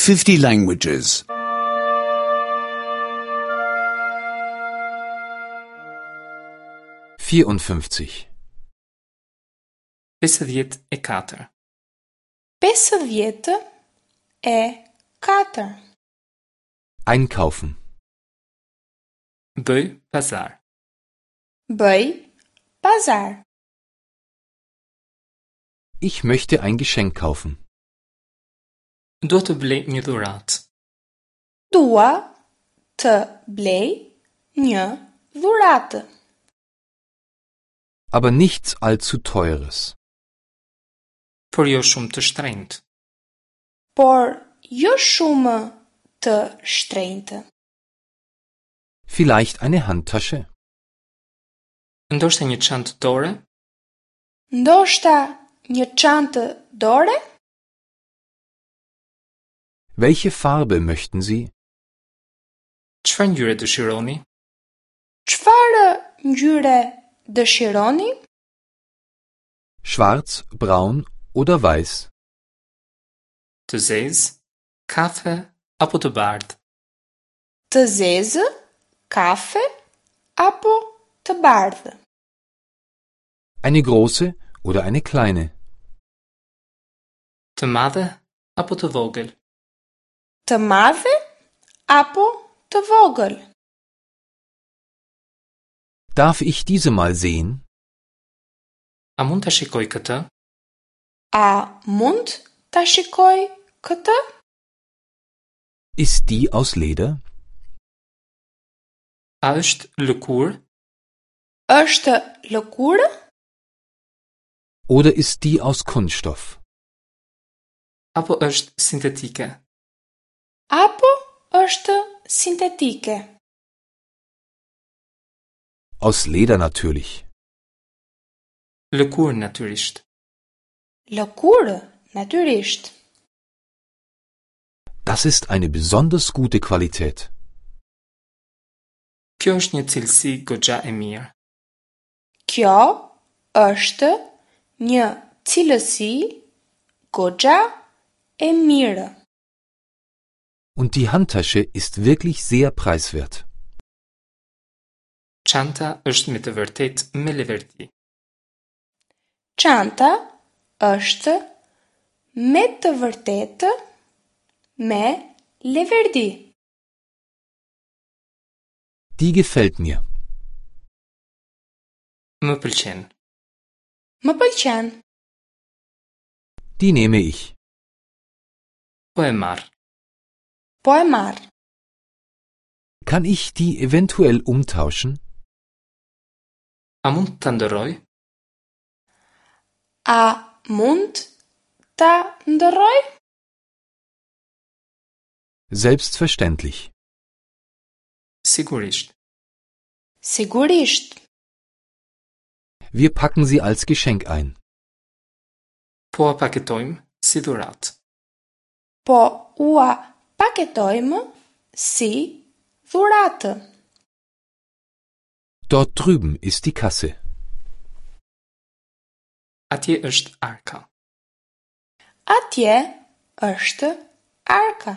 50 languages. 54. 54. 54. Einkaufen. Bëj pazar. Bëj pazar. Ich möchte ein Geschenk kaufen. Dua të blej një dhuratë. Dua të blej një dhuratë. Aber nichts allzu teures. Por jo shumë të shtrenjtë. Por jo shumë të shtrenjtë. Vielleicht eine Handtasche? Ndoshta një çantë dore? Ndoshta një çantë dore? Welche Farbe möchten Sie? Çfarë ngjyre dëshironi? Çfarë ngjyre dëshironi? Schwarz, braun oder weiß? Të zezë, kafe apo të bardhë? Të zezë, kafe apo të bardhë? Eine große oder eine kleine? Të madhe apo të vogël? Të madhe apo të vogël? Darf ich diese mal sehen? A mund ta shikoj këtë? A mund ta shikoj këtë? Ist die aus Leder? A është lëkurë? Është lëkurë Oder ist die aus Kunststoff? Apo është sintetike? apo është sintetike? Aus Leder natürlich. Lëkurë natyrisht. Lëkurë, natyrisht. Das ist eine besonders gute Qualität. Kjo është një cilësi goxha e mirë. Kjo është një cilësi goxha e mirë. Und die Handtasche ist wirklich sehr preiswert. Çanta është me të vërtetë me leverdi. Çanta është me të vërtetë me leverdi. Die gefällt mir. Më pëlqen. Më pëlqen. Die nehme ich. Po e marr. Po e marr. Kann ich die eventuell umtauschen? A mund ta ndërroj? A mund ta ndërroj? Selbstverständlich. Sigurisht. Sigurisht. Wir packen sie als Geschenk ein. Po a paketojmë si dhuratë. Po ua paketojmë si dhuratë. Dort drüben ist die Kasse. Atje është arka. Atje është arka.